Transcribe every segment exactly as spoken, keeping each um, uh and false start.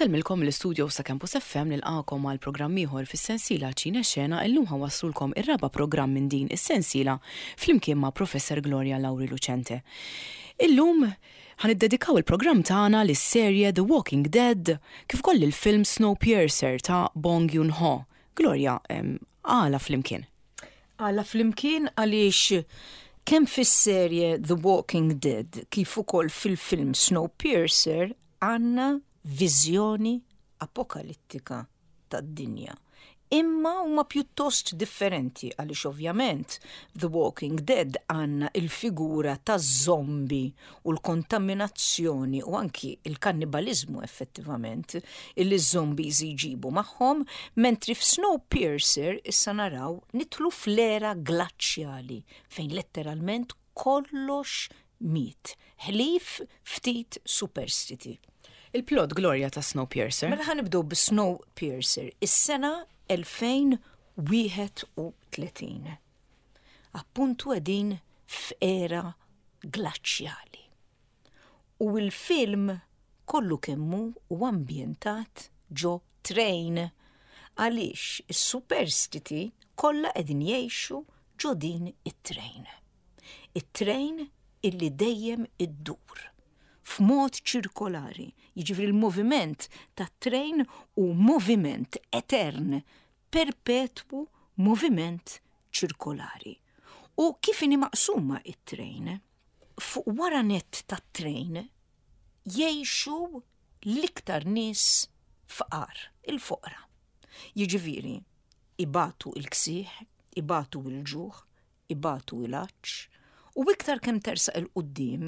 Insellmilkom l-istudio sa' Campus F M, nilqagħkom għal programm ieħor fis-sensiela Ċine Xena. Illum ħa nwasslulkom ir-raba' programm minn din is-sensiela flimkien ma' Professor Gloria Lauri Lucente. Illum ħa niddedikaw il-programm tagħna lis-serje The Walking Dead kif ukoll il-film Snowpiercer ta' Bong Joon-ho. Gloria, għala flimkien? Għala flimkien għaliex kemm fis-serje The Walking Dead kif ukoll fil-film Snowpiercer għandna viżjoni apokalittika tad-dinja. Imma huma pjuttost differenti għaliex ovvjament The Walking Dead għandna il-figura ta' zombie u l-kontaminazzjoni u anki il-kannibalizmu effettivament illi zombies jġibu magħhom, mentri f'Snowpiercer issa naraw nidħlu fl-era glaċjali fejn letteralment kollox miet, ħlief ftit superstiti. Il-plot, Gloria, ta' Snowpiercer. Mela ħa nibdew bi-Snowpiercer, is-sena elfejn u wieħed u tletin. Appuntu qegħdin f'era glaċjali. U il-film kollu kemm hu ambjentat ġo train għaliex is-superstiti kollha qegħdin jgħixu ġo din it-train. It-train illi dejjem iddur f'mod ċirkolari. Jiġifieri l-moviment tat-train hu moviment etern, perpetwu, moviment ċirkolari. U kif inhi maqsuma it-train? Fuq wara net tat-train jgħixu l-iktar nies fqar, il-foqra. Jiġifieri, ibatu il-ksieħ, ibatu il-ġuħ, ibatu il-għatx, u iktar kemm tersaq 'il quddiem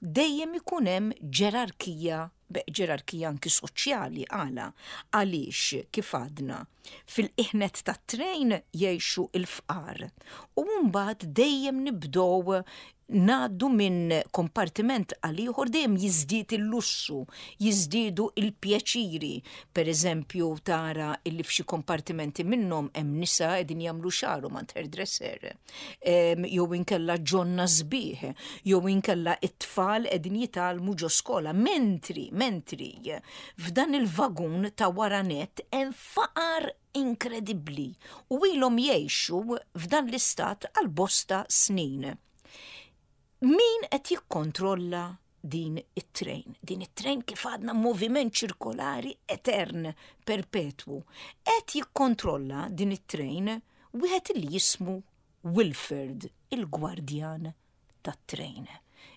dejjem ikun hemm ġerarkija, ġerarkija anki soċjali. Għala? Għaliex kif għadna, fil-qiegħ nett tat-train jgħixu il-fqar. U mbagħad dejjem nibdew ngħaddu minn kompartiment għal ieħor, dejjem jiżdied il-lussu, jiżdiedu il-pjaċiri. Per eżempju, tara illi f'xi kompartimenti minnhom hemm nisa qegħdin jagħmlu xagħarhom għand hairdresser. Jew inkella ġonna sbieħ, jew inkella it-tfal qegħdin jitgħallmu ġo skola. Mentri, mentri, f'dan il-vagun ta' wara net hemm faqar inkredibbli u ilhom jgħixu f'dan l-istat għal bosta snin. Min qed jikkontrolla din it-train? Din it-train, kif għadna, moviment ċirkolari etern, perpetwu. Qed jikkontrolla din it-train wieħed li jismu Wilford, il-gwardjan tat-train.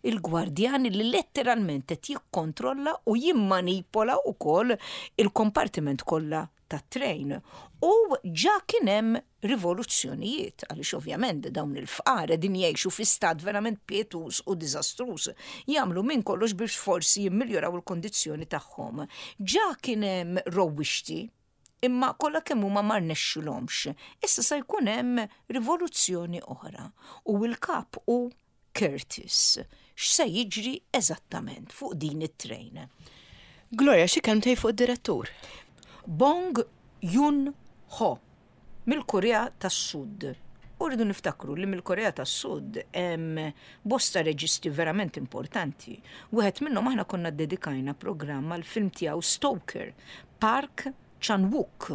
Il-gwardjan li letteralment qed jikkontrolla u jimmanipola wkoll il-kompartiment kollha tat-train. U ġa kien hemm rivoluzzjonijiet, għaliex ovvjament dawn il-fqar din jgħixu fi stat verament pietus u diżastruż, jagħmlu minn kollox biex forsi jimmiljoraw il-kondizzjoni tagħhom. Ġa kien hemm rewwixti, imma kollha kemm huma ma rnexxilhomx. Issa se jkun hemm rivoluzzjoni oħra u l-kap hu Curtis. X'se jiġri eżattament fuq din it-train? Gloria, xi kelmtejn fuq id-direttur? Bong Joon-ho mill-Korea tas-Sud. U rridu niftakru li mill-Korea tas-Sud hemm bosta reġisti verament importanti. Wieħed minnhom aħna konna dedikajna programm għal film tiegħu Stoker, Park Chan-wook.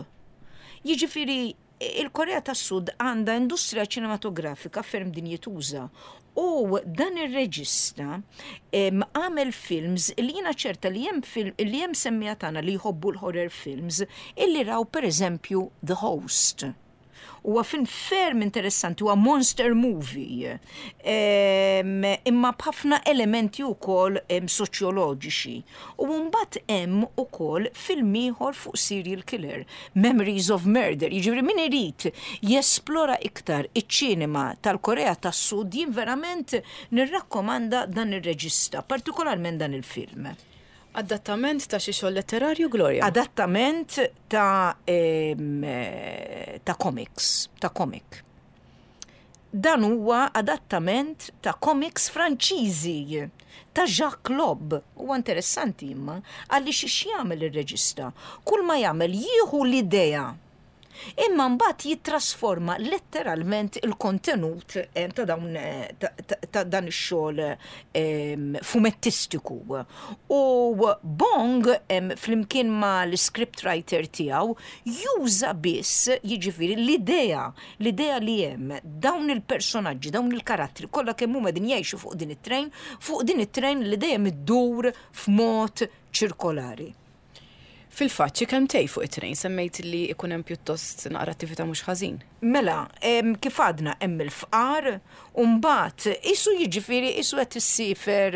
Jiġifieri il-Korea tas-Sud għandha industrija ċinematografika ferm dinjituża u dan ir-reġista għamel films li jiena ċerta li hemm film li hemm semmiegħa tagħna li jħobbu l-horror films illi raw, per eżempju, The Host. Huwa film ferm interessanti, huwa monster movie, imma b'ħafna elementi wkoll soċjoloġiċi. U mbagħad hemm ukoll film ieħor fuq serial killer, Memories of Murder. Jiġifieri min irid jesplora iktar iċ-ċinema tal-Korea tas-Sud, jien verament nirrakkomanda dan ir-reġista, partikolarment dan il-film. Adattament ta' xi xogħol letterarju, Gloria? Adattament ta' em, ta' comics, ta' comic. Dan huwa adattament ta' comics Franċiżi ta' Jacques Lob. Huwa interessanti imma għaliex x'jagħmel ir-reġista? Kull ma jagħmel, jieħu l-idea Imma mbagħad jittrasforma letteralment il-kontenut eh, ta' dawn eh, ta' dan ix-xogħol fumettistiku. U Bong flimkien ma' l-script writer tiegħu juża biss, jiġifieri, l-idea, l-idea li hemm dawn il-personaġġi, dawn il-karattri kollha kemm huma din jgħixu fuq din it-train, fuq din it-train li dejjem iddur f'mod ċirkolari. Fil-fatt, xi kelmtejn fuq it-train, semmejt li ikun hemm pjuttost naqra attività mhux ħażin. Mela, kif għadna, hemm il-fqar, u mbagħad isu, jiġifieri, isu qed issiefer,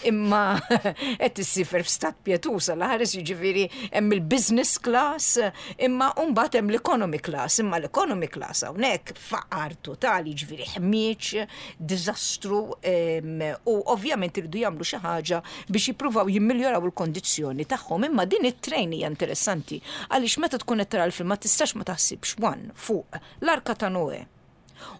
imma qed issiefer f'stat pjetuż għal ħares, jiġifieri hemm il-business class, imma mbagħad hemm l-economy class, imma l-economy class hawnhekk faqar totali, jiġifieri ħmieġ, diżastru, u ovvjament iridu jagħmlu xi ħaġa biex jippruvaw jimmiljoraw il-kondizzjoni tagħhom. Imma din it-train hija interessanti għaliex meta tkun qed tara l-film ma tistax ma taħsibx one fuq l-Arka ta' Noe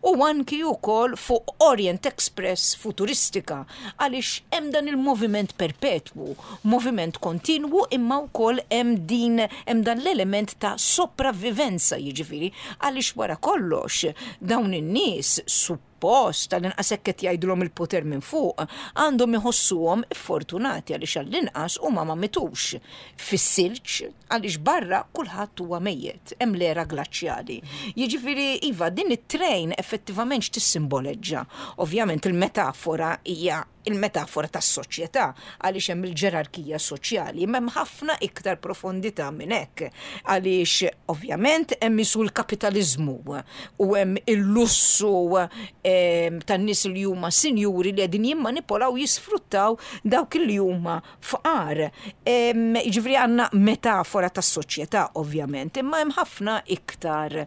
u anki wkoll fuq Orient Express futuristika, għaliex hemm dan il-moviment perpetwu, moviment kontinwu, imma wkoll hemm din hemm dan l-element ta' sopravvivenza, jiġifieri għaliex wara kollox dawn in-nies suppost, tal-inqas hekk qed jgħidulhom il-poter minn fuq, għandhom iħossuhom fortunati għaliex għall-inqas huma ma mitux fis-silġ, għaliex barra kulħadd huwa mejjet, hemm l-era glaċjali. Jiġifieri iva, din it-train effettivament x'tissimboleġġa? Ovvjament il-metafora hija il-metafora tas-soċjetà, għaliex hemm il-ġerarkija soċjali, imma hemm ħafna iktar profondità minn hekk, għaliex ovvjament hemm isu l-kapitaliżmu u hemm il-lussu tan-nies li huma sinjuri li qegħdin jimmanipolaw, jisfruttaw dawk li huma fqar. Jiġifieri għandna metafora tas-soċjetà ovvjament, imma hemm ħafna iktar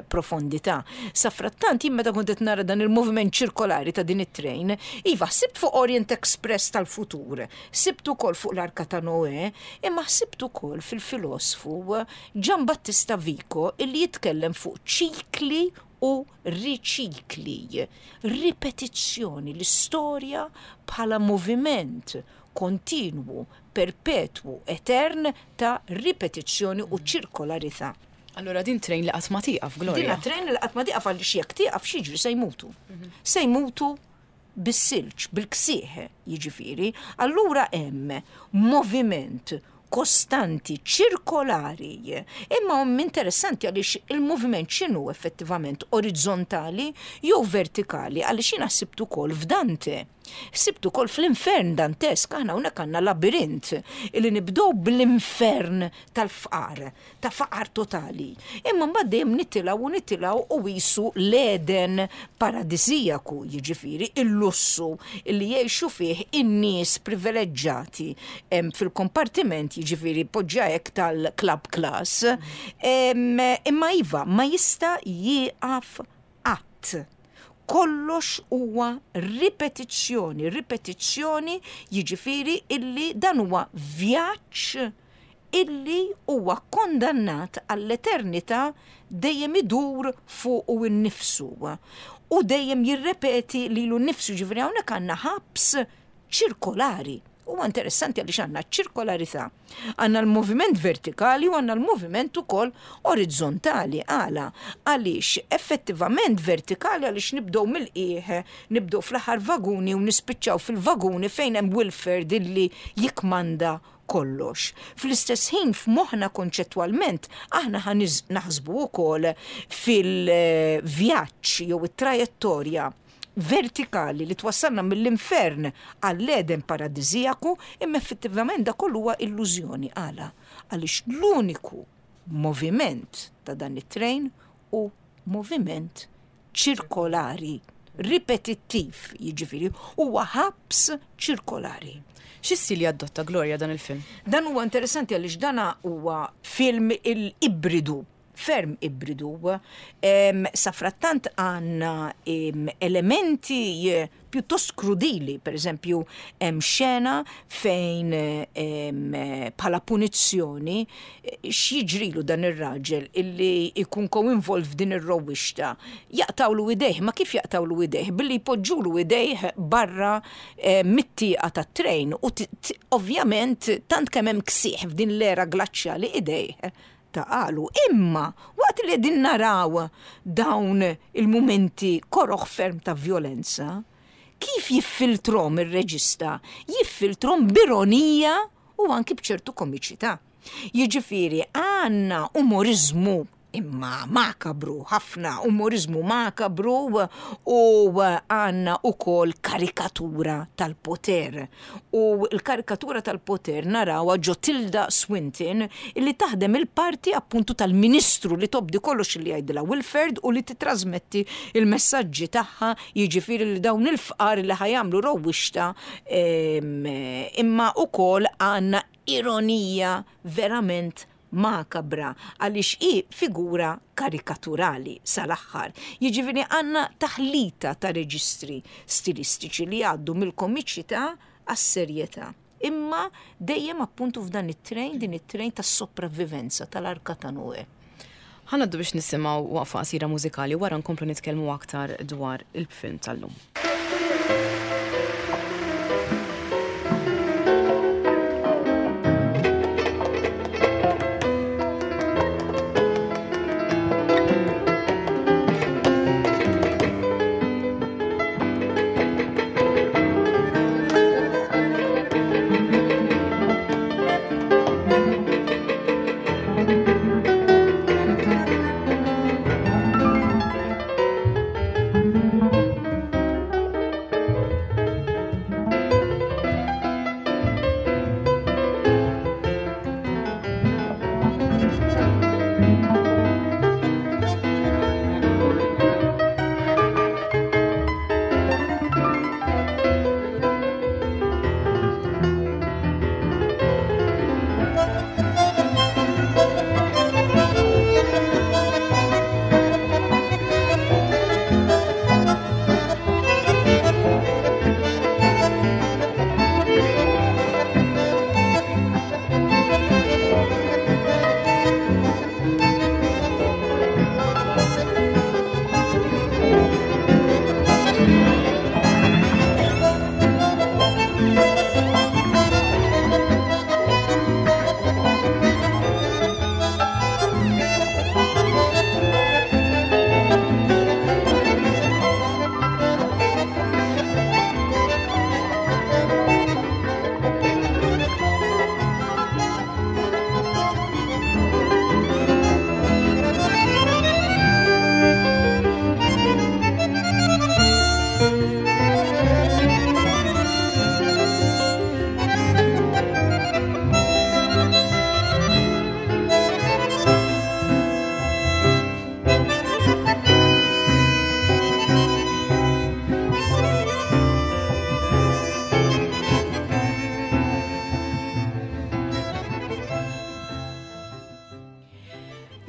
profondità. Safrattant, jien meta kont qed nara dan il-moviment ċirkolari ta' din it-train, iva, sibt fuq Orient Express tal-futur, sibt ukoll fuq l-Arka ta' Noe, imma sibt ukoll fil-filosfu Gian Battista Vico illi jitkellem fuq ċikli u riċikli, ripetizzjoni, l-istorja bħala moviment kontinwu, perpetwu, etern ta' ripetizzjoni u ċirkolarità. Allora din train li qatt ma tieqaf, Gloria. Din train li qatt ma tieqaf, għaliex jekk tieqaf x'jiġri? Se jmutu. Se jmutu bis-silġ, bil-ksieħ, jiġifieri. Allura hemm moviment kostanti, ċirkolari. Imma hum interessanti għaliex il-moviment x'inhu effettivament, orizzontali jew vertikali? Għaliex jiena sibt ukoll f'Dante. Sibt ukoll fl-infern dantesk, aħna hawnhekk għandna labirint illi nibdew bl-infern tal-fqar, ta' faqar totali. Imma mbagħad dejjem nitilgħu u nitilgħu u qisu l-Eden paradisijaku, jiġifieri il-lussu illi jgħixu fih in-nies privileġġati fil-kompartiment, jiġifieri poġġa hekk, tal-club class. Imma iva, ma jista' jieqaf qatt. Kollox huwa ripetizzjoni, ripetizzjoni, jiġifieri illi dan huwa vjaġġ illi huwa kondannat għall-eternità dejjem idur fuq u nnifsu u dejjem jirrepeti lilu nnifsu, ġifieri hawnhekk għandna ħabs ċirkolari. Huwa interessanti għaliex għandna ċirkolarità. Għandna l-moviment vertikali u għandna l-moviment ukoll orizzontali. Għala, għaliex effettivament vertikali għaliex nibdew mill-qiegħ, nibdew fl-aħħar vaguni u nispiċċaw fil-vaguni fejn hemm Wilford illi jikmanda kollox. Fl-istess ħin, f'moħħna konċettwalment aħna ħa naħsbu wkoll fil-vjaġġ jew it-trajettorja vertikali li twassalna mill-infern għall-Eden paradisijaku, imma effettivament da kollu huwa illużjoni. Għala? Għaliex l-uniku moviment ta' dan it-train hu moviment ċirkolari, ripetittiv, jiġifieri huwa ħabs ċirkolari. Xi stil jadotta, Gloria, dan il-film? Dan huwa interessanti għaliex dana huwa film il-ibridu, ferm ibridu. Safrattant għandna elementi pjuttost krudili, per eżempju, hemm xena fejn bħala punizzjoni x'jiġrilu dan ir-raġel illi jkun ko-involved f'din ir-rowwixta? Jaqtawlu idejh. Ma kif jaqtawlu idejh? Billi jpoġġulu idejh barra mit-tieqa tat-train u ovvjament tant kemm hemm ksieħ f'din l-era glaċjali idejh taqalu. Imma waqt li qegħdin naraw dawn il-mumenti koroħ ferm ta' violenza, kif jiffiltrom ir-reġista? Jiffiltrom b'ironija u anki b'ċertu komiċità. Jiġifieri għandna umorizmu imma makabru, ħafna umorizmu makabru, u għandna ukoll karikatura tal-poter. U l-karikatura tal-poter narawha ġo Tilda Swinton, illi taħdem il-parti appuntu tal-ministru li tobdi kollox li jgħidilha Wilford u li titrasmetti il-messaġġi tagħha, jiġifieri li dawn il-fqar li ħa jagħmlu rewwixta, imma ukoll għandna ironija verament makabra għaliex hi figura karikaturali sal-aħħar. Jiġifieri għandna taħlita ta' reġistri stilistiċi li għaddu mill-komiċità għas-serjetà. Imma dejjem appuntu f'dan it-trejn, din it-trejn tas-sopravvivenza tal-Arka ta' Noè. Ħa ngħaddu biex nisimgħu waqfa qasira mużikali, wara nkomplu nitkellmu aktar dwar il-film tal-lum.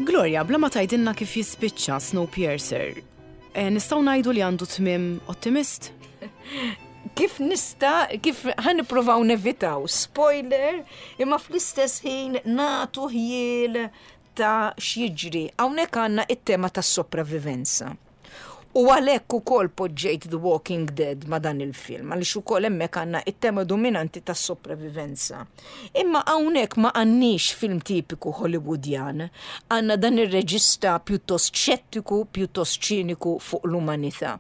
Gloria, bla ma tgħidilna kif jispiċċa Snowpiercer, eh, nistgħu ngħidu li għandu tmiem ottimist? Kif nista, kif ħa nippruvaw nevitaw spoiler, imma fl-istess ħin nagħtu ħjiel ta' x'jiġri. Hawnhekk għandna it-tema tas-sopravivenza. U għalhekk ukoll poġġejt The Walking Dead ma' dan il-film, għaliex ukoll hemmhekk għandna it-tema dominanti tas-sopravivenza. Imma hawnhekk ma għandniex film tipiku Hollywoodjan, għandna dan ir-reġista pjuttost xettiku, pjuttost ċiniku fuq l-umanità.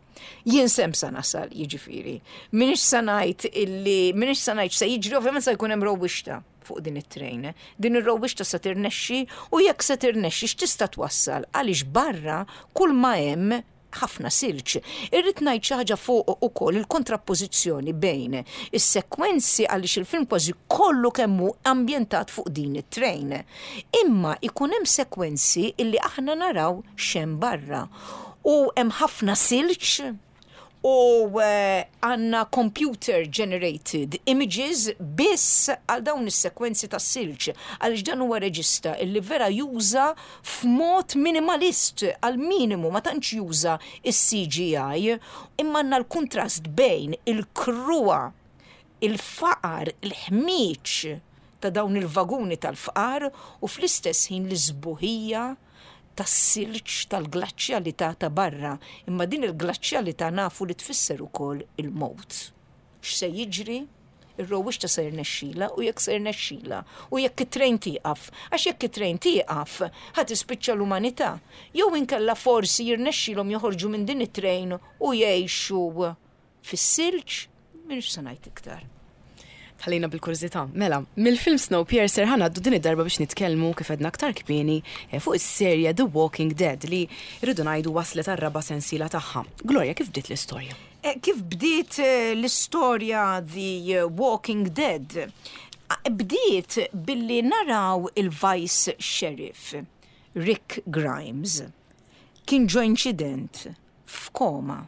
Jien sem sa nasal, jiġifieri. M'iniex sa ngħid illi, m'iniex sa ngħid se jiġri, ovvjament se jkun hemm rewwixta fuq din it-trejn. Din ir-rewwixta se tirnexxi, u jekk se tirnexxi x'tista' twassal, għaliex barra kull ma hemm ħafna silġ. Irrid ngħid xi ħaġa fuq ukoll il-kontrappożizzjoni bejn is-sekwenzi, għaliex il-film kważi kollu kemm hu ambjentat fuq din it-trejn. Imma ikun hemm sekwenzi illi aħna naraw x'hemm barra. U hemm ħafna silġ u eh, għandna computer generated images biss għal dawn is-sekwenzi ta' silġ, għaliex dan huwa reġista illi vera juża f'mod minimalist għal minimu, ma tantx juża is-C G I, imma għandna l-kontrast bejn il-kruha, il-faqar, il-ħmiġ ta' dawn il-vaguni tal-fqar u fl-istess ħin l-isbuħija tas-silġ tal-glaċjalità ta' barra, imma din il-glaċjalità nafu li tfisser ukoll il-mowt. X'se jiġri? Ir-rewwixta se jirnexxila u jekk se jirnexxila u jekk it-trejn tieqaf, għax jekk it-trejn tieqaf, ħa tispiċċa l-umanità. Jew inkella forsi jirnexxilhom joħorġu minn din it-trejn u jgħixu fis-silġ, m'iniex se ngħid iktar. Ħallejna bil-kurżità. Mela, mill-film Snowpiercer ħa ngħaddu din id-darba biex nitkellmu, kif għedna aktar kmieni, eh, fuq is-serje The Walking Dead li rridu ngħidu waslet għar-raba' sensiela tagħha. Gloria, kif bdiet l-istorja? Eh, Kif bdiet eh, l-istorja The Walking Dead? Bdiet billi naraw il-Vice Sheriff, Rick Grimes. Kien ġo incident f'koma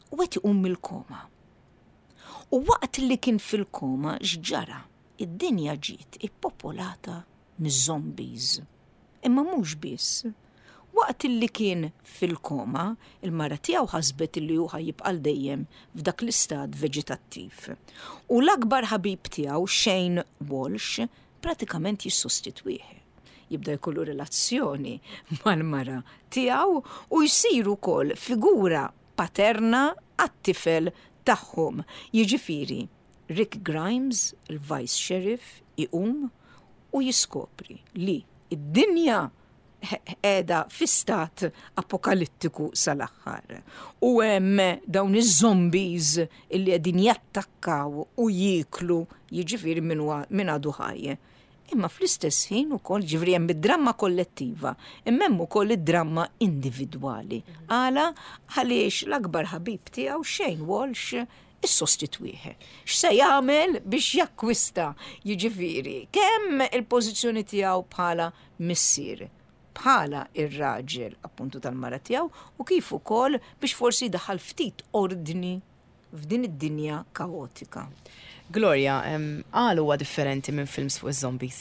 u qed iqum mill-koma. U waqt li kien fil-koma, x'ġara? Id-dinja ġiet ippopolata miż-zombies. Imma mhux biss. Waqt li kien fil-koma, il-mara tiegħu ħasbet li hu jibqa' dejjem f'dak l-istat veġetattiv. U l-akbar ħabib tiegħu, Shane Walsh, pratikament jissostitwih. Jibda jkollu relazzjoni mal-mara tiegħu u jsir ukoll figura paterna għat-tifel tagħhom. Jiġifieri, Rick Grimes, il-Vice Sheriff, iqum u jiskopri li id-dinja qiegħda fi stat apokalittiku sal-aħħar. U hemm dawn iż-zombies illi qegħdin jattakkaw u jieklu, jiġifieri, min għadu ħaj. Imma fl-istess ħin ukoll, ġifieri, hemm id-dramma kollettiva, imma hemm ukoll id-dramma individwali. Għala? Għaliex l-akbar ħabib tiegħu, Shane Walsh, issostitwih. X'se jagħmel biex jakkwista, jiġifieri, kemm il-pożizzjoni tiegħu bħala missier, bħala ir-raġel appuntu tal-mara tiegħu u kif ukoll biex forsi daħal ftit ordni f'din id-dinja kaotika? Gloria, għal huwa differenti minn films fuq iż-zombies?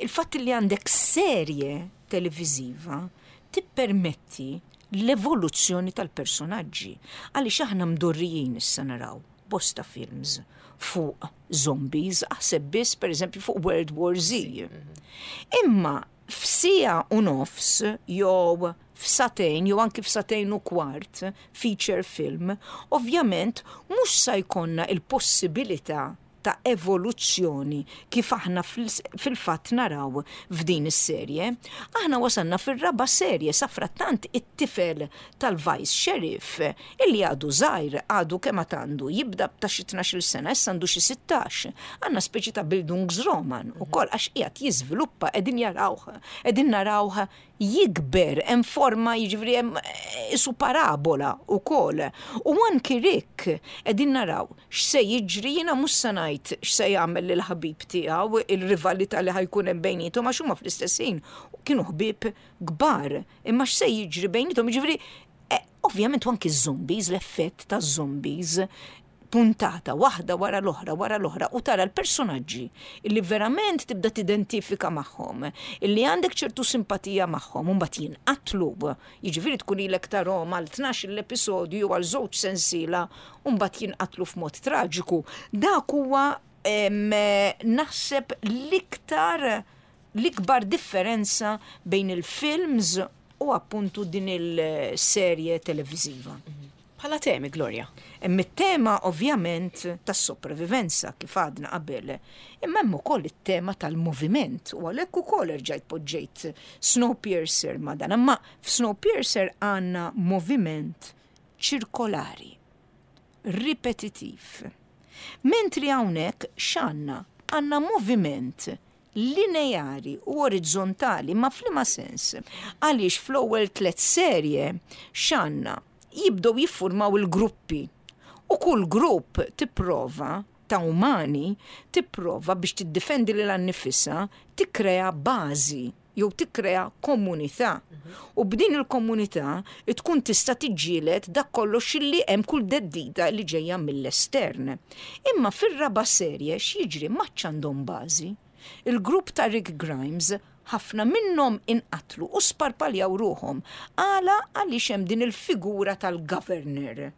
Il-fatt li għandek serje televiziva tippermetti l-evoluzzjoni tal-personaġġi. Għaliex aħna mdorrijin issa naraw bosta films fuq zombies, aħseb biss, per eżempju, fuq World War Z. Imma f'siegħa u nofs jew f'sagħtejn jew anki f'sagħtejn u kwart feature film, ovvjament mhux sa jkollna il-possibilità ta' evoluzzjoni kif aħna fil-fatt naraw f'din is-serje. Aħna wasalna fir-raba' serje, safrattant it-tifel tal-Vice Sheriff, illi għadu żgħir, għadu kemm għandu, jibda ta' xi tnax-il sena, issa għandu xi sittax. Għandna speċi ta' Bildungsroman ukoll għax qiegħed jiżviluppa, qegħdin jarawh, qegħdin narawh jikber, hemm forma, jiġifieri, hemm isu parabola ukoll. U anki Rick qegħdin naraw x'se jiġri. Jiena mhux se ngħid x'se jagħmel lil ħabib tiegħu, il-rivalità li ħa jkun hemm bejniethom, għax huma fl-istess ħin kienu ħbieb kbar, imma x'se jiġri bejniethom, jiġifieri, eh, ovvjament anki z-zombies, l-effett ta' zombies, puntata waħda wara l-oħra wara l-oħra u tara l-personaġġi illi verament tibda tidentifika magħhom, illi għandek ċertu simpatija magħhom, u mbagħad jinqatlu. Jiġifieri tkun ilek tarahom għal tnax l-episodju għal żewġ sensiela u mbagħad jinqatlu f'mod traġiku. Dak huwa naħseb l-iktar l-ikbar differenza bejn il-films u appuntu din il-serje televiziva. Bħala temi, Gloria? Hemm it-tema ovvjament tas-sopravivenza, kif għadna qabel, imma hemm ukoll it-tema tal-moviment u għalhekk ukoll erġajt poġġejt Snowpiercer ma' dan. Imma f'Snowpiercer għandna moviment ċirkolari, ripetitiv. Mentri hawnhekk x'għandna? Għandna moviment lineari u orizzontali, ma f'liema sens? Għaliex fl-ewwel tliet serje x'għandna? Jibdew jiffurmaw il-gruppi. U kull grupp tipprova ta' umani tipprova biex tiddefendi lilha nnifisha, tikkrea bażi jew tikkrea komunità. U b'din il-komunità tkun tista' tiġġieled dak kollox li hemm, kull theddida li ġejja mill-estern. Imma fir-raba' serje x'jiġri? M'għadx għandhom bażi. Il-grupp ta' Rick Grimes, ħafna minnhom inqatlu u sparpaljaw ruħhom. Għala? Għaliex hemm din il-figura tal-governor.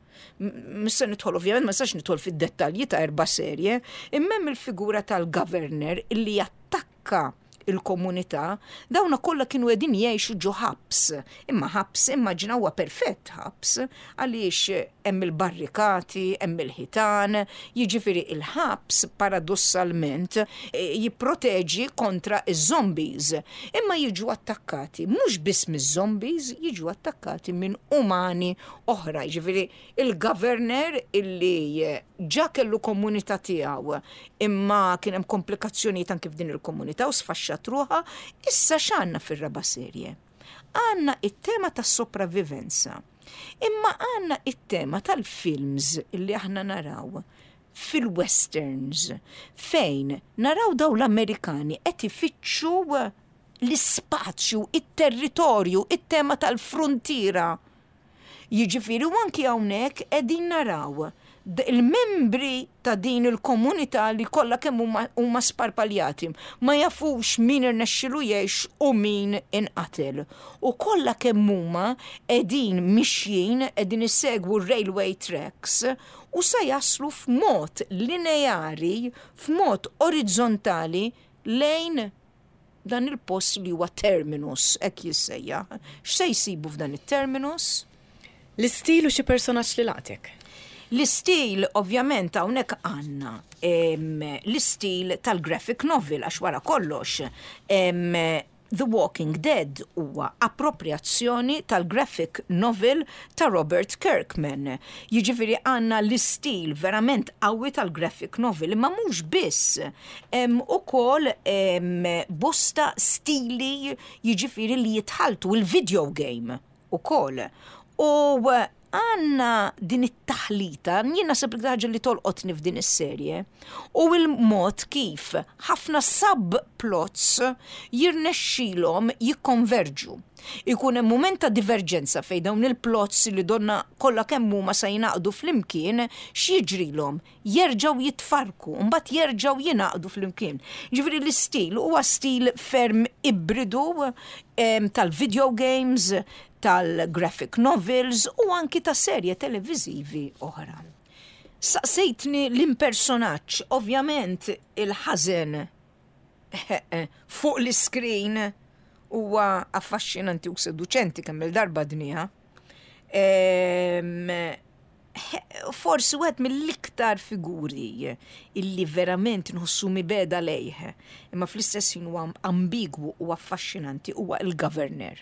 Mhux se nidħol, ovvjament, ma nistax nidħol fid-dettalji ta' erba' serje, imma hemm il-figura tal-governor illi jattakka. Il-komunità, dawna kollha kienu qegħdin jgħixu ġo ħabs. Imma ħabs, immaġina, huwa perfett ħabs, għaliex hemm il-barrikati, hemm il-ħitan, jiġifieri il-ħabs paradossalment eh, jipproteġi kontra iż-zombies. Imma jiġu attakkati mhux biss miż-zombies, jiġu attakkati minn umani oħra, jiġifieri il-governor illi ġa kellu komunità tiegħu, imma kien hemm komplikazzjonijiet anke f'din il-komunità u sfaxxat ruħha, issa x'għandna fir-raba' serje? Għandna it-tema tas-sopravivenza. Imma għandna it-tema tal-films illi aħna naraw fil-westerns, fejn naraw daw l-Amerikani qed ifittxu l-ispazju, it-territorju, it-tema tal-frontiera. Jiġifieri u anki hawnhekk qegħdin naraw il-membri ta' din il-komunità li kollha kemm huma sparpaljati, ma jafux min irnexxilu jgħix u min inqatel. U kollha kemm huma qegħdin mixjin, qegħdin isegwu railway tracks u sa jaslu f'mod lineari, f'mod orizzontali lejn dan il-post li huwa terminus, hekk jissejjaħ. X'se jsibu f'dan it-terminus? L-istil u xi personaġġ li laqtek? L-istil, ovvjament, hawnhekk għandna l-istil tal-graphic novel, għax wara kollox The Walking Dead huwa appropriazzjoni tal-graphic novel ta' Robert Kirkman. Jiġifieri għandna l-istil verament qawwi tal-graphic novel, imma mhux biss. Hemm ukoll bosta stili, jiġifieri li jitħaltu il-video game ukoll. U għandna din it-taħlita, jien naħseb li ħaġa li tolqotni f'din is-serje, u il-mod kif ħafna subplots jirnexxilhom jikkonverġu. Ikun hemm mument ta' diverġenza fejn dawn il-plots li donna kollha kemm huma sa jingħaqdu flimkien, x'jiġrilhom? Jerġgħu jitfarku, mbagħad jerġgħu jingħaqdu flimkien. Ġifieri l-istil huwa stil ferm ibridu tal-video games, tal-graphic novels u anki ta' serje televizivi oħra. Saqsejtni l-impersonaġġ, ovvjament il-ħażen fuq l-screen huwa affaxxinanti u seduċenti, kemm il-darba dnija. Forsi wieħed mill-iktar figuri illi verament nħossu mibegħda lejh, imma fl-istess ħin huwa ambigwu u affaxxinanti, huwa il-governor.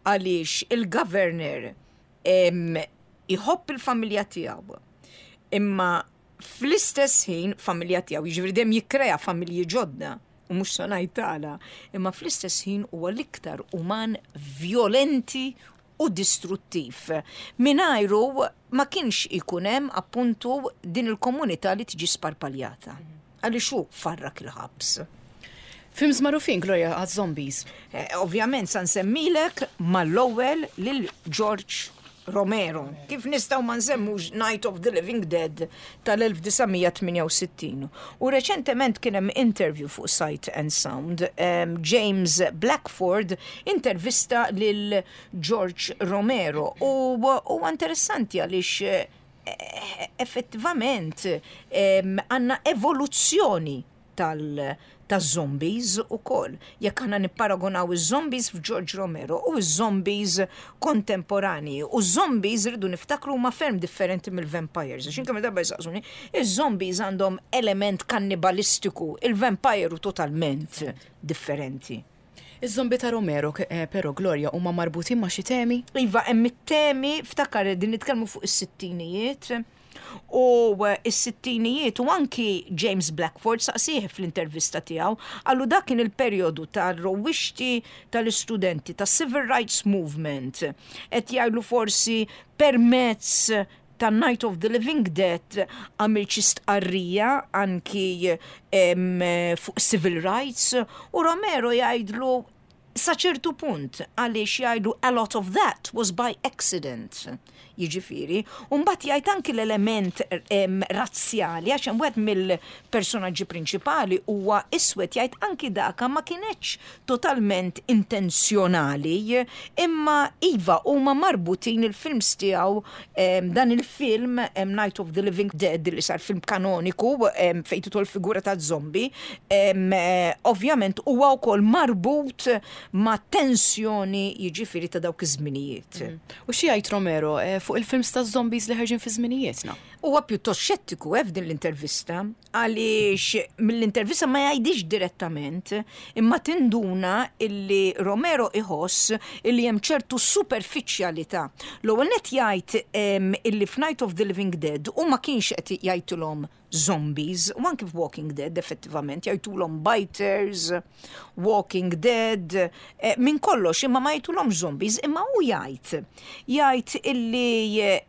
Għaliex il-governor iħobb il-familja tiegħu, imma fl-istess ħin familja tiegħu, jiġifieri dejjem jikkrea familji ġodda u mhux se ngħid, imma fl-istess ħin huwa l-iktar uman violenti u distruttiv. Mingħajru ma kienx ikun hemm appuntu din il-komunità li tiġi sparpaljata. Għaliex hu farrak il-ħabs. Films magħrufin, Gloria, għaz-zombies. Eh, ovvjament sa nsemmilek mal-ewwel lil George Romero. Kif nistgħu ma nsemmux Night of the Living Dead tal-elf disa' mija tmienja u sittin? U reċentement kien hemm interview fuq Sight and Sound. Um, James Blackford intervista lil George Romero u huwa interessanti għaliex eh, effettivament għandna evoluzzjoni tal- ta' zombies ukoll. Jekk aħna nipparagonaw iż-zombies f'George Romero u iż-zombies kontemporani. U zombies, rridu niftakru, ma ferm differenti mill-vampires. Għax kemm darba jsaqsuni, iż-zombies għandhom element kannibalistiku, il-vampire hu totalment differenti. Iż-zombi ta' Romero, eh, però, Gloria, huma marbutin ma' xi temi? Iva, hemm it-temi, ftakar din nitkellmu fuq is-sittinijiet. U is-sittinijiet, u anki James Blackford saqsih fl-intervista tiegħu, qallu dak kien il-perjodu tal-rewwixti tal-istudenti, tas-Civil Rights Movement. Qed jgħidlu forsi permezz ta' Night of the Living Dead għamil xi stqarrija anki fuq civil rights, u Romero jgħidlu Sa ċertu punt, għaliex jgħidu "a lot of that was by accident". Jiġifieri, u mbagħad jgħid anki l-element em, razzjali, għax hemm wieħed mill-personaġġi prinċipali huwa iswed, jgħid anki daka ma kienx totalment intenzjonali, imma iva huma marbutin il-films tiegħu, em, dan il-film em, Night of the Living Dead, li sar film kanoniku em, fejn tidħol figura ta' zombie, em, eh, ovvjament huwa wkoll marbut ma' tensjoni, jiġifieri, ta' dawk iż-żminijiet. U xi jgħid Romero eh, fuq il-films ta' zombies li ħerġin fi żminijietna? Huwa pjuttost xettiku eh, f'din l-intervista, għaliex mill-intervista ma jgħidix direttament, imma tinduna illi Romero iħoss illi hemm ċertu superfiċjalità. L-ewwel net jgħid em, illi f'Night of the Living Dead u ma kienx qed jgħidulhom zombies, u anki f'Walking Dead effettivament jgħidulhom biters, Walking Dead, eh, minn kollox, imma ma jgħidulhom zombies, imma hu jgħid. Jgħid illi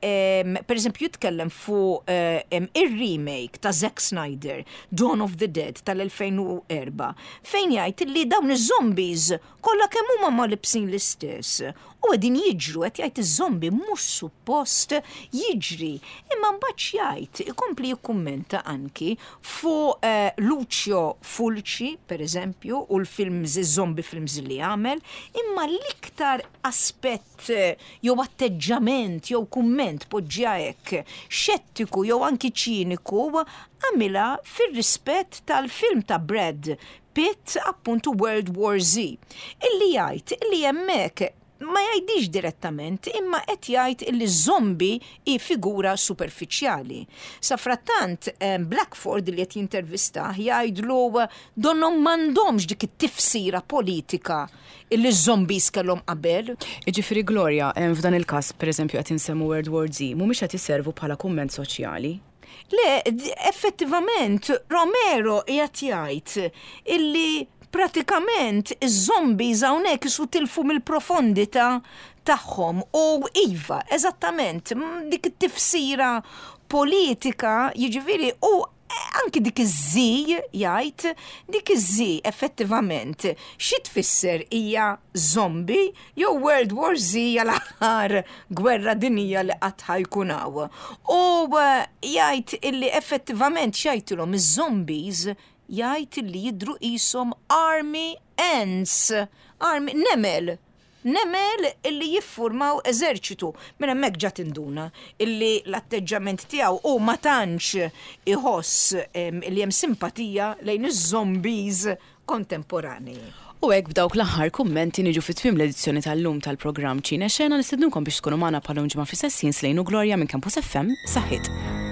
em, per eżempju jitkellem fuq eh, em, ir-remake ta' Zack Snyder, Dawn of the Dead tal-elfejn u erbgħa, fejn jgħid illi dawn iż-zombies kollha kemm huma ma libsin l-istess. U qegħdin jiġru, qed jgħid iż-zombie mhux suppost jiġri. Imma mbagħad jgħid, ikompli jikkummenta anki fuq eh, Lucio Fulci, per eżempju, u l-films, iż-zombie films li għamel, imma l-iktar aspett eh, jew atteġġament jew kumment, poġġja hekk, xettiku jew anki ċiniku, għamilha fir-rispett tal-film ta' Brad Pitt, appuntu World War Z. Illi jgħid illi hemmhekk ma jgħidix direttament, imma qed jgħid illi zombie hi figura superfiċjali. Sa frattant eh, Blackford li qed jintervista jgħidlu donnhom m'għandhomx dik it-tifsira politika illi zombies kellhom qabel. Jiġifieri, Gloria, em, f'dan il-każ, pereżempju, qed insemmu World War Z, mhumiex qed iservu bħala kumment soċjali? Le, d- effettivament, Romero qiegħed jgħid illi pratikament iż-zombies hawnhekk isu tilfu mill-profondità tagħhom u iva, eżattament, m, dik it-tifsira politika, jiġifieri, u anki dik iż-Z, jgħid, dik iż-Z effettivament xi tfisser, hija zombie jew World War Z, hija l-aħħar gwerra dinija li qatt ħajkun hawn? U eh, jgħid illi effettivament x'jgħidilhom iż-zombies, jgħid illi jidru qishom army ants, army nemel, nemel illi jiffurmaw eżerċitu. Minn hemmhekk ġa tinduna illi l-atteġġament tiegħu u ma tantx iħoss em, illi hemm simpatija lejn iż-zombies kontemporani. U hekk, b'dawk l-aħħar kummenti, niġu fi tmiem l-edizzjoni tal-lum tal-programm Ċine Xena. Nistednukom biex tkunu magħna bħal ġimgħa fl-istess ħin. Slejnu Gloria minn Campus F M. Saħħit.